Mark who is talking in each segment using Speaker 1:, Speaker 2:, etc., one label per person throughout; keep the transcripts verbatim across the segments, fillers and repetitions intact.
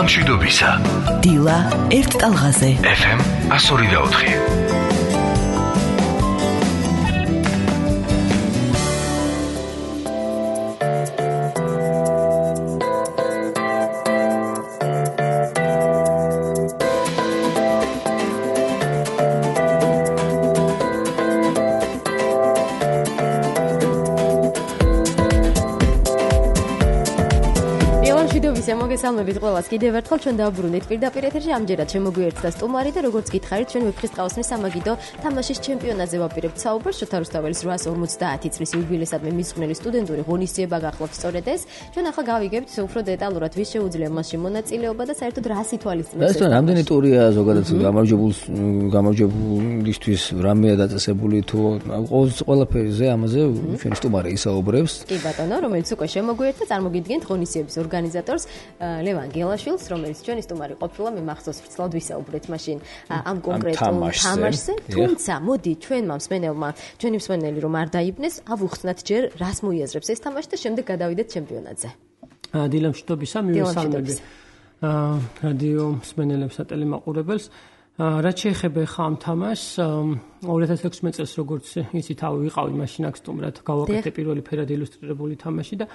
Speaker 1: მშვიდობისა.
Speaker 2: დილა ერთ ტალღაზე.
Speaker 1: ეფ ემ one oh four.
Speaker 3: მოგესალმებით ყველას კიდევ ერთხელ ჩვენ დავბრუნდით პირდაპირ ეთერში ამჯერად შემოგვიერთდა სტუმარი და როგორც გითხარით ჩვენ ვეფხისტყაოსნის სამაგიდო თამაშის ჩემპიონატზე ვაპირებთ საუბარს შოთა რუსთაველის რვაას ორმოცდაათი წლის იუბილეისადმი მისღვნილი სტუდენტური ღონისძიება გახლავთ სწორედ ეს ჩვენ ახლა გავიგებთ უფრო დეტალურად ვის შეუძლია მასში მონაწილეობა და საერთოდ რას ითვალისწინებს
Speaker 4: ეს რამდენი ტურია ზოგადად გამარჯვებულ გამარჯვებულისთვის რამეა დაწესებული თუ ყველაფერზე ამაზე ჩვენ სტუმარი ისაუბრებს
Speaker 3: კი ბატონო რომელიც უკვე შემოგვიერთდა წარმოგიდგენთ ღონისძიების ორგანიზატორს ლევან გელაშვილს, რომელიც ჩვენი სტუმარი ყოფილა, მე მახსოვს ვრცლად ვისაუბრეთ მაშინ ამ კონკრეტულ თამაშზე, თუმცა მოდი ჩვენმა მსმენელმა, ჩვენი მსმენელი რომ არ დაიბნეს, ავუხსნათ ჯერ რას მოიაზრებს ეს თამაში და შემდეგ გადავიდეთ ჩემპიონატზე.
Speaker 5: დილა მშვიდობისა, მივესალმები რადიო მსმენელებს და ტელემაყურებელს. რაც შეეხება ხა ამ თამაშს, ორი ათას ექვსმეტ წელს როგორც იცით, თავი ვიყავი მაშინ აქ სტუმრად, გავაკეთე პირველი ფერად ილუსტრირებული თამაში და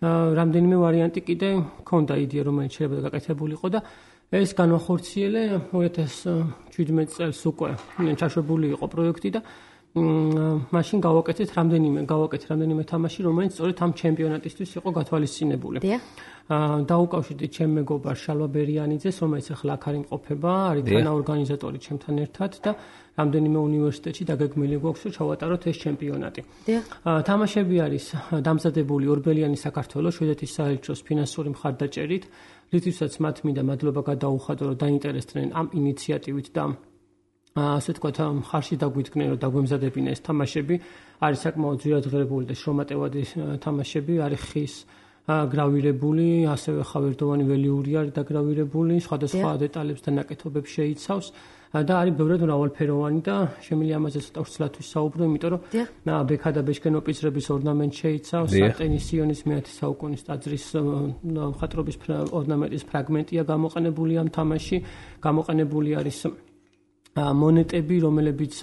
Speaker 5: რამდენიმე ვარიანტი კიდე ქონდა იდეა რომელიც შეიძლება გაკეთებულიყო და ეს განვახორციელე ორი ათას შვიდმეტ წელს უკვე ჩაშვებული იყო პროექტი და მაშინ გავაკეთეთ რამდენიმე გავაკეთე რამდენიმე თამაში რომელიც სწორედ ამ ჩემპიონატისთვის იყო გათვალისწინებული. დაუკავშირდით ჩემ მეგობარ შალვა ბერიანიძეს რომელიც ახლა აქ არ იმყოფება, არის თანაორგანიზატორი ჩემთან ერთად და რამდენიმე უნივერსიტეტში დაგეგმილი გვაქვს რომ ჩავატაროთ ეს ჩემპიონატი. თამაშები არის დამზადებული ორბელიანი საქართველოს შვედეთის საელჩოს ფინანსური მხარდაჭერით, რითვისაც მათ მინდა მადლობა გადაუხადო რომ დაინტერესდნენ ამ ინიციატივით და ასე თქვათ მხარში დაგვიდგნენ რომ დაგვემზადებინა ეს თამაშები. არის საკმაოდ ძვირად ღირებული და შრომატევადი თამაშები, არის ხის გრავირებული, ასევე ხავერდოვანი ველიური არის დაგრავირებული, სხვადასხვა დეტალებს და ნაკეთობებს შეიცავს და არის ბევრად მრავალფეროვანი და შემიძლია ამაზე ცოტა ვრცლად ვისაუბრო, იმიტომ რომ ბექა და ბეშკენოპიცრების ორნამენტ შეიცავს, ტენისიონის მეათე საუკუნის ტაძრის მხატვრობის ორნამენტის ფრაგმენტია გამოყენებული ამ თამაში, გამოყენებული არის მონეტები, რომლებიც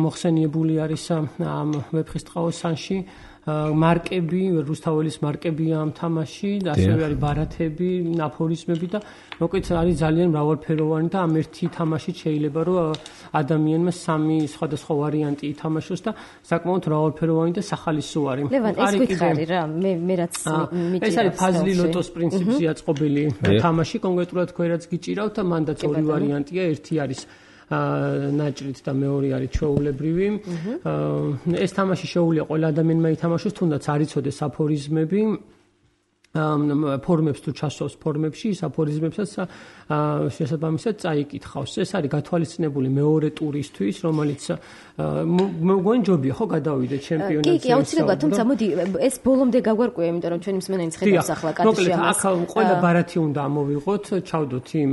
Speaker 5: მოხსენიებული არის ამ ვეფხისტყაოსანში. მარკები, რუსთაველის მარკებია ამ თამაში და ასევე არის ბარათები, აფორიზმები და მოკლედ არის ძალიან მრავალფეროვანი და ამ ერთი თამაშით შეიძლება რომ ადამიანმა სამი სხვადასხვა ვარიანტი ითამაშოს და საკმაოდ მრავალფეროვანი და სახალისო არის.
Speaker 3: ლევან, ეს გითხარი რა, მე მე რაც მიჭირავს.
Speaker 5: ეს არის ფაზლი ლოტოს პრინციპზე აწყობილი თამაში, კონკრეტულად თქვენ რაც გიჭირავთ და მანდაც ორი ვარიანტია, ერთი არის ნაჭრით და მეორე არის ჩვეულებრივი. ეს თამაში შეუძლია ყველა ადამიანმა ითამაშოს, თუნდაც არ იცოდეს აფორიზმები. ფორმებს თუ ჩასვავს ფორმებში, ის აფორიზმებსაც შესაბამისად წაიკითხავს. ეს არის გათვალისწინებული მეორე ტურისთვის, რომელიც მოგონი ჯობია ხო გადავიდე ჩემპიონატზე.
Speaker 3: კი, კი, აუცილებლად, თუმცა მოდი ეს ბოლომდე გაგვარკვია, იმიტომ რომ ჩვენი მსმენელი ხედავს ახლა კადრში ამას.
Speaker 5: მოკლედ, აქ ყველა ბარათი უნდა ამოვიღოთ, ჩავდოთ იმ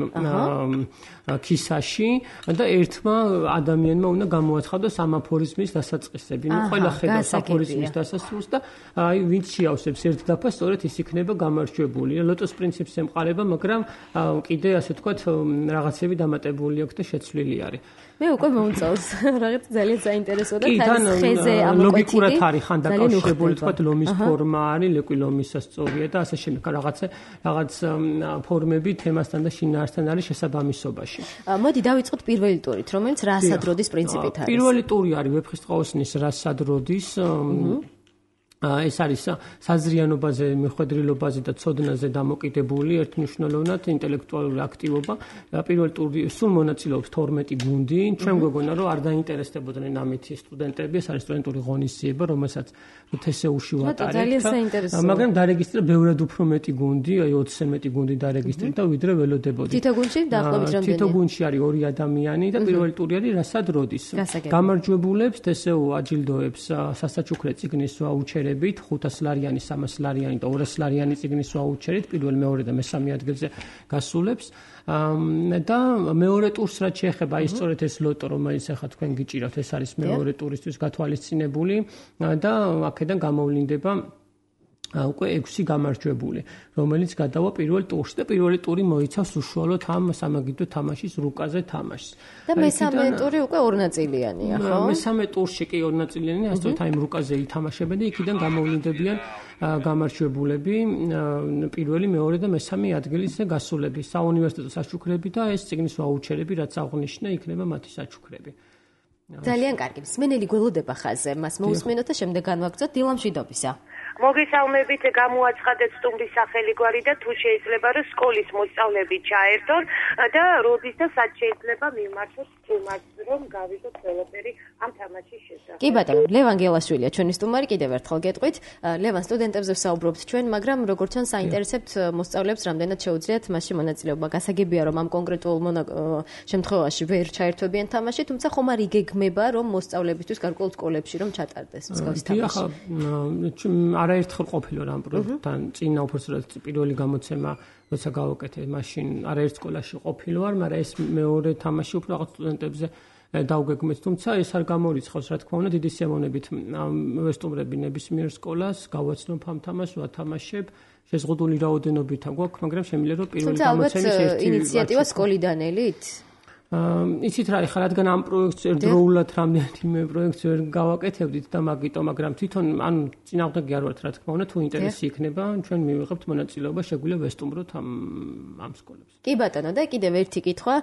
Speaker 5: ქისაში და ერთმა ადამიანმა უნდა გამოაცხადოს ამ აფორიზმის დასაწყისები. ნუ ყველა ხედავს აფორიზმის დასასრულს და აი ვინც შეავსებს ერთ დაფას, სწორედ ის იქნება გამარჯვებული. ლოტოს პრინციპს ემყარება, მაგრამ კიდე ასე თქვათ რაღაცები დამატებული აქვს და შეცვლილი არის.
Speaker 3: მე უკვე მომწონს, რაღაც ძალიან საინტერესო და თავს ხეზე ამოკვეთილი.
Speaker 5: ლოგიკურად არის ხან დაკავშირებული, თქვათ ლომის ფორმა არის, ლეკვი ლომის სწორია და ასე შემდეგ რაღაცა რაღაც ფორმები თემასთან და შინაარსთან არის შესაბამისობაში.
Speaker 3: მოდი დავიწყოთ პირველი ტურით, რომელიც რასადროდის პრინციპით არის.
Speaker 5: პირველი ტური არის ვეფხისტყაოსნის რასადროდის ეს არის საზრიანობაზე, მიხვედრილობაზე და ცოდნაზე დამოკიდებული ერთმნიშვნელოვნად ინტელექტუალური აქტივობა. პირველი ტური სულ მონაწილეობს თორმეტი გუნდი. ჩვენ გვეგონა რომ არ დაინტერესდებოდნენ ამით სტუდენტები, ეს არის სტუდენტური ღონისძიება, რომელსაც თესეუში ვატარებთ. მაგრამ დარეგისტრირდა ბევრად უფრო მეტი გუნდი, აი ოცზე მეტი გუნდი დარეგისტრირდა ვიდრე ველოდებოდი.
Speaker 3: თითო გუნდში დაახლოებით რამდენი?
Speaker 5: თითო გუნდში არის ორი ადამიანი და პირველი ტური არის რასადროდის. გამარჯვებულებს თესეუ აჯილდოებს სასაჩუქრე წიგნის ვაუჩერებით, ხუთას ლარიანი, სამას ლარიანი და ორას ლარიანი წიგნის ვაუჩერით, პირველ, მეორე და მესამე ადგილზე გასულებს. და მეორე ტურს რაც შეეხება, ის სწორედ ეს ლოტო, რომელიც ახლა თქვენ გიჭირავთ, ეს არის მეორე ტურისთვის გათვალისწინებული და აქედან გამოვლინდება უკვე ექვსი გამარჯვებული, რომელიც გადავა პირველ ტურში და პირველი ტური მოიცავს უშუალოდ ამ სამაგიდო თამაშის რუკაზე თამაშს.
Speaker 3: და მესამე ტური უკვე ორნაწილიანია, ხო?
Speaker 5: მესამე ტურში კი ორნაწილიანია, ასე რომ აი რუკაზე ითამაშებენ და იქიდან გამოვლინდებიან გამარჯვებულები, პირველი, მეორე და მესამე ადგილის გასულები, საუნივერსიტეტო საჩუქრები და ეს წიგნის ვაუჩერები, რაც აღნიშნა, იქნება მათი საჩუქრები.
Speaker 3: ძალიან კარგი. მსმენელი გველოდება ხაზზე, მას მოусმინოთ და შემდეგ განვაგრძოთ დილამშვიდობისა.
Speaker 1: მოგესალმებით, გამოაცხადეთ სტუმრის სახელი გვარი და თუ შეიძლება რომ სკოლის მოსწავლეები ჩაერთონ და როდის და სად შეიძლება მიმართოთ სტუმარს რომ გავიგოთ ყველაფერი ამ თამაშის შესახებ.
Speaker 3: კი ბატონო, ლევან გელაშვილია ჩვენი სტუმარი, კიდევ ერთხელ გეტყვით. ლევან, სტუდენტებზე ვსაუბრობთ ჩვენ, მაგრამ როგორც ჩანს საინტერესებთ მოსწავლეებს რამდენად შეუძლიათ მასში მონაწილეობა. გასაგებია რომ ამ კონკრეტულ შემთხვევაში ვერ ჩაერთვებიან თამაში, თუმცა ხომ არ იგეგმება რომ მოსწავლებისთვის გარკვეულ სკოლებში რომ ჩატარდეს მსგავსი თამაში.
Speaker 5: არაერთხელ ყოფილა რამ პროექტთან წინა უბრალოდ პირველი გამოცემა როცა გავაკეთე მაშინ არაერთ სკოლაში ყოფილი ვარ, მაგრამ ეს მეორე თამაში უფრო რაღაც სტუდენტებზე დავგეგმეთ, თუმცა ეს არ გამორიცხავს, რა თქმა უნდა, დიდი სიამოვნებით ვესტუმრები ნებისმიერ სკოლას, გავაცნობ ამ თამაშს, ვათამაშებ, შეზღუდული რაოდენობით გვაქვს, მაგრამ შემიძლია რომ პირველი გამოცემის ერთი
Speaker 3: თუმცა ინიციატივა სკოლიდან ელით
Speaker 5: იცით რა, ეხლა რადგან ამ პროექტს ერთდროულად რამდენიმე მე პროექტს ვერ გავაკეთებდით და მაგიტომ, მაგრამ თვითონ ანუ წინააღმდეგი არ ვართ, რა თქმა უნდა, თუ ინტერესი იქნება, ჩვენ მივიღებთ მონაწილეობა, შეგვიძლია ვესტუმროთ ამ ამ სკოლებს.
Speaker 3: კი ბატონო, და კიდევ ერთი კითხვა,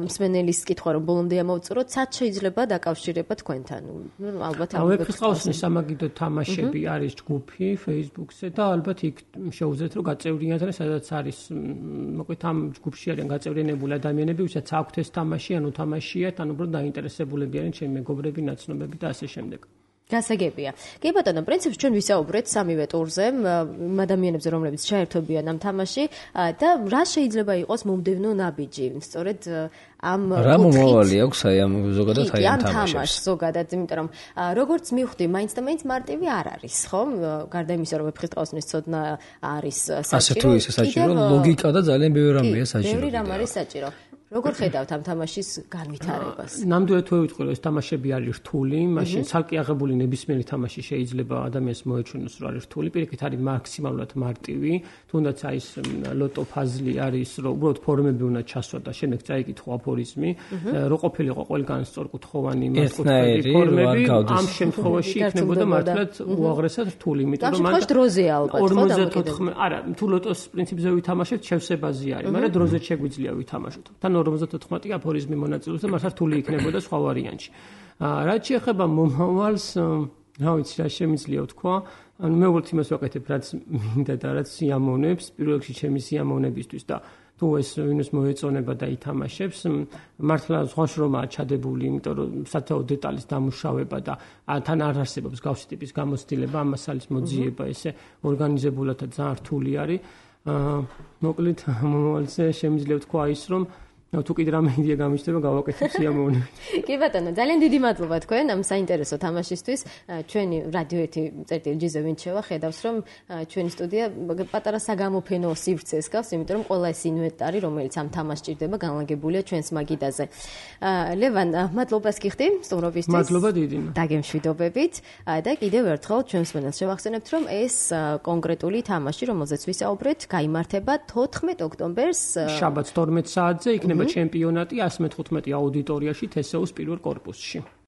Speaker 3: მსმენელის კითხვა რომ ბოლომდე ამოვწუროთ, სად შეიძლება დაკავშირება თქვენთან? ნუ ალბათ
Speaker 5: ამ ვეფხისტყაოსნის სამაგიდო თამაშები არის ჯგუფი Facebook-ზე და ალბათ იქ შეუძლიათ რომ გაწევრიანდნენ, სადაც არის მოკლედ ამ ჯგუფში არიან გაწევრიანებული ადამიანები, ვისაც აქვთ ეს თამაში ანუ თამაშიათ, ანუ უბრალოდ დაინტერესებულები არიან ჩემი მეგობრები, ნაცნობები და ასე შემდეგ.
Speaker 3: გასაგებია. კი ბატონო, პრინციპში ჩვენ ვისაუბრეთ სამივე ტურზე, ადამიანებზე, რომლებიც ჩაერთვებიან ამ თამაში და რა შეიძლება იყოს მომდევნო ნაბიჯი, სწორედ ამ
Speaker 4: რა მომავალი აქვს აი ამ ზოგადად აი ამ თამაშს
Speaker 3: ზოგადად, იმიტომ რომ როგორც მივხვდი, მაინც და მაინც მარტივი არ არის, ხო? გარდა იმისა, რომ ვეფხისტყაოსნის ცოდნა არის საჭირო.
Speaker 4: ასე თუ ისე საჭირო, ლოგიკა და ძალიან ბევრი რამეა საჭირო.
Speaker 3: ბევრი რამ არის საჭირო. როგორ ხედავთ ამ თამაშის განვითარებას?
Speaker 5: ნამდვილად თუ ვიტყვი რომ ეს თამაშები არის რთული, მაშინ ცალკე აღებული ნებისმიერი თამაში შეიძლება ადამიანს მოეჩვენოს რომ არის რთული, პირიქით არის მაქსიმალურად მარტივი, თუნდაც აი ეს ლოტო ფაზლი არის, რომ უბრალოდ ფორმები უნდა ჩასვა და შემდეგ წაიკითხო აფორიზმი, რო ყოფილიყო ყველგან სწორკუთხოვანი
Speaker 4: მართკუთხედი
Speaker 5: ფორმები, ამ შემთხვევაში იქნებოდა მართლაც უაღრესად რთული,
Speaker 3: იმიტომ რომ მან დროზე ალბათ ხო
Speaker 5: ორმოცდაოთხმეტ არა, თუ ლოტოს პრინციპზე ვითამაშებთ, შევსებაზე არის, მაგრამ დროზე შეგვიძლია ვითამაშოთ. ორმოცდაოთხმეტი აფორიზმი მონაწილეობს და მართლა რთული იქნებოდა სხვა ვარიანტში. რაც შეეხება მომავალს, რა ვიცი, რა შემიძლია ვთქვა, ანუ მე ვუყურებთ იმას ვაკეთებ, რაც მინდა და რაც სიამოვნებს, პირველ რიგში ჩემი სიამოვნებისთვის და თუ ეს ვინმეს მოეწონება და ითამაშებს, მართლა სხვა შრომაა ჩადებული, იმიტომ რომ სათაო დეტალის დამუშავება და თან არ არსებობს გავსი ტიპის გამოცდილება, ამ მასალის მოძიება, ესე ორგანიზებულად და ძალიან რთული არის. მოკლედ მომავალზე შემიძლია ვთქვა ის, რომ თუ კიდე რამე იდეა გამიჩნდება, გავაკეთებ სიამოვნებით.
Speaker 3: კი ბატონო, ძალიან დიდი მადლობა თქვენ ამ საინტერესო თამაშისთვის. ჩვენი რადიო ერთი წერტილი ჯიზე ვინც შევა, ხედავს რომ ჩვენი სტუდია პატარა საგამოფენო სივრცეს გავს, იმიტომ რომ ყველა ეს ინვენტარი, რომელიც ამ თამაშს ჭირდება, განლაგებულია ჩვენს მაგიდაზე. ლევან, მადლობას გიხდი სტუმრობისთვის.
Speaker 5: მადლობა დიდი.
Speaker 3: დაგემშვიდობებით და კიდევ ერთხელ ჩვენს მენელს შევახსენებთ, რომ ეს კონკრეტული თამაში, რომელზეც ვისაუბრეთ, გაიმართება თოთხმეტ ოქტომბერს
Speaker 5: შაბათს თორმეტ საათზე იქნება ჩემპიონატი ასი მეთოთხმეტი აუდიტორიაში თესეუს პირველ კორპუსში.